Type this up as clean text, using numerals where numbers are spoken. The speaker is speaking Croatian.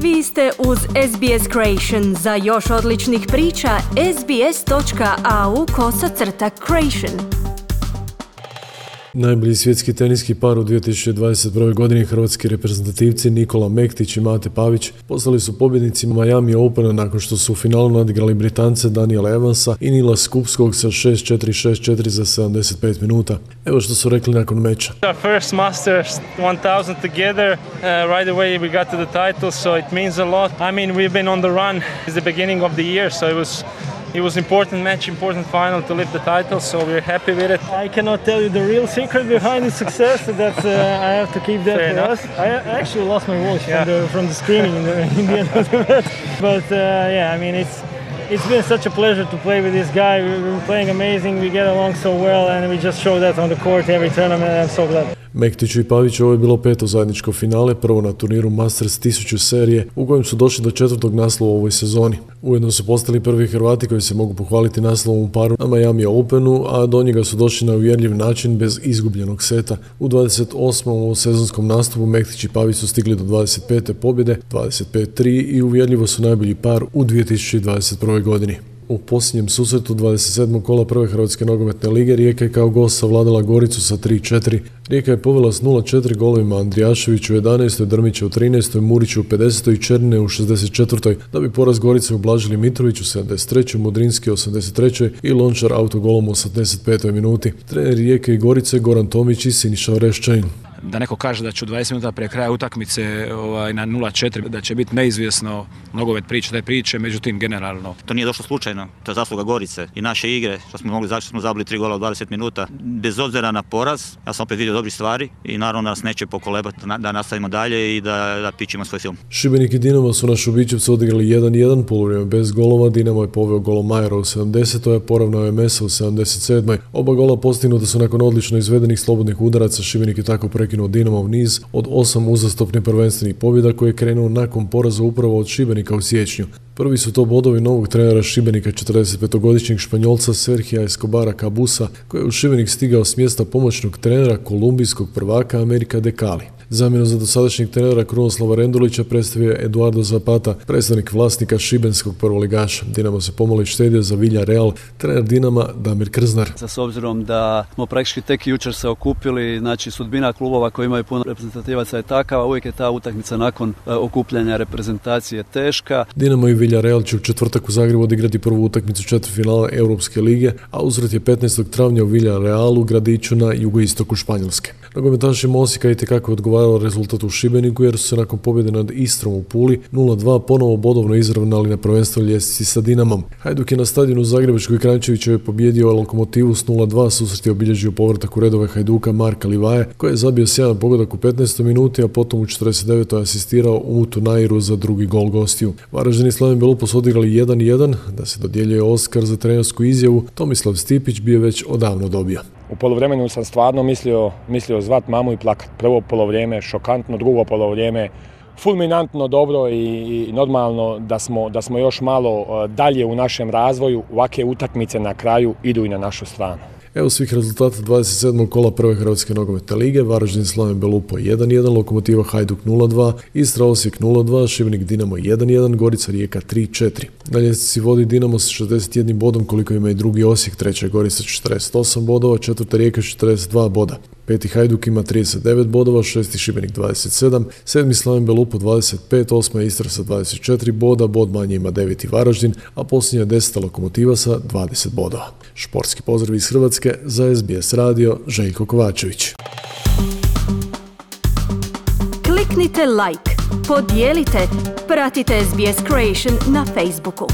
Vi ste uz SBS Creation. Za još odličnih priča, sbs.au/creation. Najbolji svjetski teniski par u 2021. godini hrvatski reprezentativci Nikola Mektić i Mate Pavić postali su pobjednici Miami Opena nakon što su u finalu nadigrali Britance Daniela Evansa i Nila Skupskog sa 6-4, 6-4 za 75 minuta. Evo što su rekli nakon meča. Our first Masters 1000 together, right away we got to the title, so it means a lot. I mean, we've been on the run since the beginning of the year, so it was important match, important final to lift the title, so we're happy with it. I cannot tell you the real secret behind the success. That I have to keep that for us. I actually lost my voice from the screaming in the end of the match. But yeah, I mean it's been such a pleasure to play with this guy. We're playing amazing. We get along so well, and we just show that on the court every tournament. I'm so glad. Mektiću i Paviću ovo je bilo peto zajedničko finale, prvo na turniru Masters 1000 serije, u kojem su došli do četvrtog naslova u ovoj sezoni. Ujedno su postali prvi Hrvati koji se mogu pohvaliti naslovom u paru na Miami Openu, a do njega su došli na uvjerljiv način bez izgubljenog seta. U 28. sezonskom nastupu Mektić i Pavić su stigli do 25. pobjede, 25-3 i uvjerljivo su najbolji par u 2021. godini. U posljednjem susretu 27. kola prve Hrvatske nogometne lige Rijeka je kao gost savladala Goricu sa 3-4. Rijeka je povela s 0-4 golovima Andrijaševiću u 11. Drmića u 13. Muriću u 50. i Černe u 64. da bi poraz Gorice ublažili Mitrović u 73. Mudrinski u 83. i Lončar autogolom u 85. minuti. Trener Rijeke i Gorice Goran Tomić i Siniša Oreščanin. Da neko kaže da će u 20 minuta prije kraja utakmice na 0-4, da će biti neizvjesno nogomet te priče, međutim generalno. To nije došlo slučajno, to je zasluga Gorice i naše igre, što smo mogli zašto smo zabili 3 gola u 20 minuta. Bez obzira na poraz, ja sam opet vidio dobri stvari i naravno da nas neće pokolebati da nastavimo dalje i da pičimo svoj film. Šibenik i Dinamo su na Šubićevcu odigrali 1-1, poluvrijeme bez golova. Dinamo je poveo golom Majera u 70. a poravnao je Mesa u 77. Oba gola postignuta su nakon odlično izvedenih slobodnih udaraca. Šibenik je tako prekinuo Dinamov niz od 8 uzastopnih prvenstvenih pobjeda koji je krenuo nakon poraza upravo od Šibenika u siječnju. Prvi su to bodovi novog trenera Šibenika, 45-godišnjeg Španjolca Sergija Escobara Cabusa, koji je u Šibenik stigao s mjesta pomoćnog trenera kolumbijskog prvaka Amerika de Cali. Zamjenu za dosadašnjeg trenera Krunoslava Rendulića predstavio je Eduardo Zapata, predstavnik vlasnika šibenskog prvoligaša. Dinamo se pomalo štedio za Villarreal, trener Dinama Damir Krznar. S obzirom da smo praktički tek jučer se okupili, znači sudbina klubova koji imaju puno reprezentativaca je takava, uvijek je ta utakmica nakon okupljanja reprezentacije teška. Dinamo i Villarreal će u četvrtak u Zagrebu odigrati prvu utakmicu četvrtfinala Europske lige, a uzvrat je 15. travnja u Villarrealu, gradiću na jugoistoku Španjolske. Nogometašima Osijeka itekako odgovarao rezultat u Šibeniku jer su se nakon pobjede nad Istrom u Puli 0-2 ponovo bodovno izravnali na prvenstvenoj ljestvici sa Dinamom. Hajduk je na stadionu u Zagrebačkoj Kranjčevićevoj pobjedio Lokomotivu s 0-2, susret je obilježio povratak u redove Hajduka Marka Livaje, koji je zabio sjajan pogodak u 15. minuti, a potom u 49. asistirao Umutu Nairu za drugi gol gostiju. Varaždin i Slaven Belupo su odigrali 1-1, da se dodjeljuje Oskar za trenersku izjavu, Tomislav Stipić bi je već odavno dobio. U poluvremenu sam stvarno mislio zvat mamu i plakat. Prvo polovrijeme šokantno, drugo polovrijeme fulminantno dobro i normalno da smo još malo dalje u našem razvoju. Ovakve utakmice na kraju idu i na našu stranu. Evo svih rezultata 27. kola prve Hrvatske nogometne lige: Varaždin Slaven Belupo 1-1, Lokomotiva Hajduk 0-2, Istra Osijek 0-2, Šibenik Dinamo 1-1, Gorica Rijeka 3-4. Na ljestvici vodi Dinamo s 61 bodom koliko ima i drugi Osijek, treća je Gorica 48 bodova, četvrta Rijeka 42 boda. Peti Hajduk ima 39 bodova, šesti Šibenik 27, sedmi Slaven Belupo 25, osma Istra sa 24 boda, bod manje ima deveti Varaždin, a posljednja 10. Lokomotiva sa 20 bodova. Športski pozdrav iz Hrvatske za SBS radio, Željko Kovačević. Kliknite like, podijelite, pratite SBS Creation na Facebooku.